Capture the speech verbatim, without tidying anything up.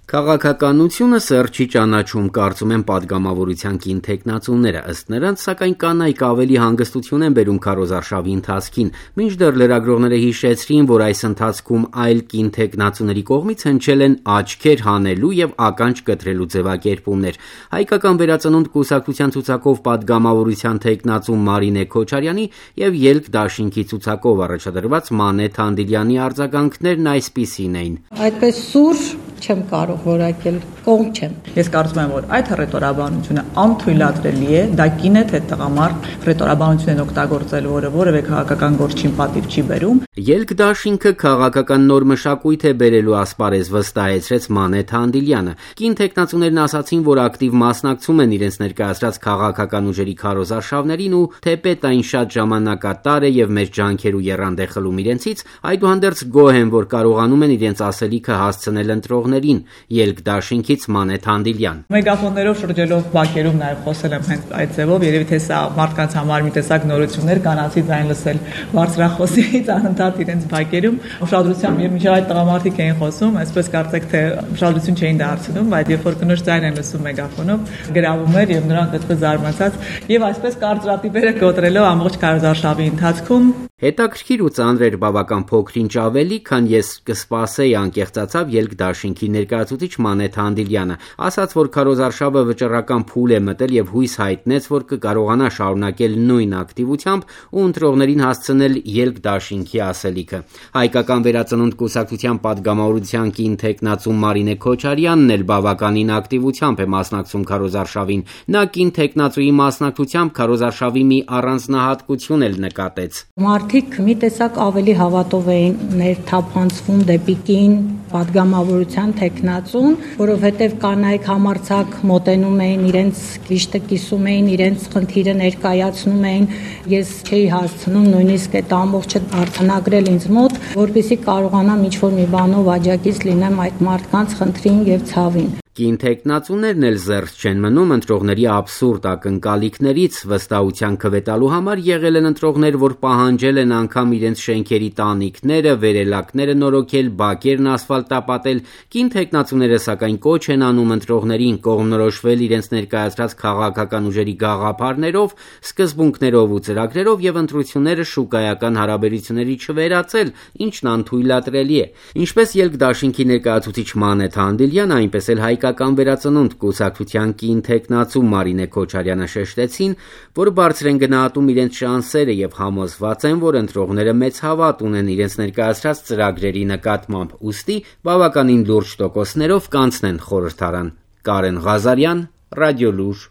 Քաղաքականությունը սերտ չի ճանաչում, կարծում են պատգամավորության կին թեկնածուները, ըստ նրանց, սակայն կանայք ավելի հանգստություն են բերում քարոզարշավի ընթացքին, մինչդեռ լրագրողները հիշեցրին, որ այս ընթացքում այլ կին թեկնածուների կողմից հնչել են աչքեր հանելու եւ ականջ կտրելու ձևակերպումներ։ Հայկական վերածնունդ կուսակցության ցուցակով պատգամավորության թեկնածու Մարինե Քոչարյանի եւ Ելք դաշինքի ցուցակով առաջադրված Մանե Թանդիլյանի արձագանքներն այսպիսին էին. Այդպես սուր չեմ կարող որակել, կողմ չեմ։ Ես կարծում եմ, որ այդ ռետորաբանությունը անթույլատրելի է, դա կին է թե տղամարդ ռետորաբանություն են օգտագործել, որը որևէ քաղաքական գործին պատիվ չի բերում։ Ելք դաշինքը քաղաքական նոր մշակույթ է բերելու ասպարեզ, վստահեցրեց Մանե Թանդիլյանը։ Կին թեկնածուներն ասացին, որ ակտիվ մասնակցում են իրենց ներկայացրած քաղաքական ուժերի քարոզարշավներին ու թեպետ այն շատ ժամանակատար է եւ մեր ջանքեր ու եռանդե խլում իրենցից, այդուհանդերձ գոհ են, որ կարողանում են իրենց ասելիքը հասցնել ընտրողներին։ Ելք դաշինքից Մանե Թանդիլյան. Մեգաֆոններով շրջելով բակերում նաև խոսել եմ հենց այդ ձևով, երևի թե սա մարդկանց համար մի տեսակ նորություններ, կանացի ձայն լսել բարձրախոսից անընդհատ իրենց բակերում ուշադրությամբ եւ մինչեւ այդ տղամարդիկ էին խոսում, այսպես կարծեք թե ուշադրություն չէին դարձնում, բայց երբ որ կնոջ ձայն են լսում մեգաֆոնով, գրավում էր եւ նրանք այդպես զարմացած եւ այսպես կարծրատիպերը կոտրելով ամբողջ քարոզարշավի ընթացքում հետաքրքիր ու ծանր էր բավական փոքրինչ ավելի, քան ես կսպասեի, անկեղծացավ Ելք դաշինքի ներկայացուցիչ Մանե Թանդիլյանը, ասաց, որ քարոզարշավը վճռական փուլ է մտել եւ հույս հայտնեց, որ կկարողանա շարունակել նույն ակտիվությամբ ու ընտրողներին հասցնել Ելք դաշինքի ասելիքը։ Հայկական վերածնունդ կուսակցության պատգամավորության կին թեկնածու Մարինե Քոչարյանն էլ բավականին ակտիվությամբ է մասնակցում քարոզարշավին։ Նա կին թեկնածուի մասնակցությամբ քարոզարշավի մի առանձնահատկություն էլ նկատեց. Մարդիկ մի տեսակ ավելի հավատով էին ներթափանցվում դեպի կին պատգամավորության թեկնածուն, որովհետև կանայք համարձակ մոտենում էին, իրենց կիշտը կիսում էին, իրենց խնդիրը ներկայացնում էին։ Ես չէի հասցնում նույնիսկ այդ ամբողջը արձանագրել ինձ մոտ, որպեսզի կարողանամ ինչ-որ մի բանով աջակից լինեմ այդ մարդկանց խնդրին եւ ցավին։ Կին թեկնածուներն էլ զերծ չեն մնում ընտրողների աբսուրդ ակնկալիքներից, վստահության քվետալու համար եղել են ընտրողներ, որ պահանջել են անգամ իրենց շենքերի տանիքները, վերելակները նորոգել, բակերն ասֆալտապատել։ Կին թեկնածուները սակայն կոչ են անում ընտրողներին կողմնորոշվել իրենց ներկայացրած քաղաքական ուժերի գաղափարներով, սկզբունքներով ու ծրագրերով եւ ընտրությունները շուկայական հարաբերությունների չվերածել, ինչն անթույլատրելի է։ Ինչպես Ելք դաշինքի ներկայացուցիչ Մանե Թանդիլյանը, այնպես էլ Հայկական վերածնունդ կուսակցության կին թեկնածու Մարինե Քոչարյանը շեշտեցին, որ բարձր են գնահատում իրենց շանսերը եւ համոզված են, որ ընտրողները մեծ հավատ ունեն իրենց ներկայացրած ծրագրերի նկատմամբ, ուստի բավականին լուրջ տոկոսներով կանցնեն խորհրդարան։ Կարեն Ղազարյան, Ռադիոլուր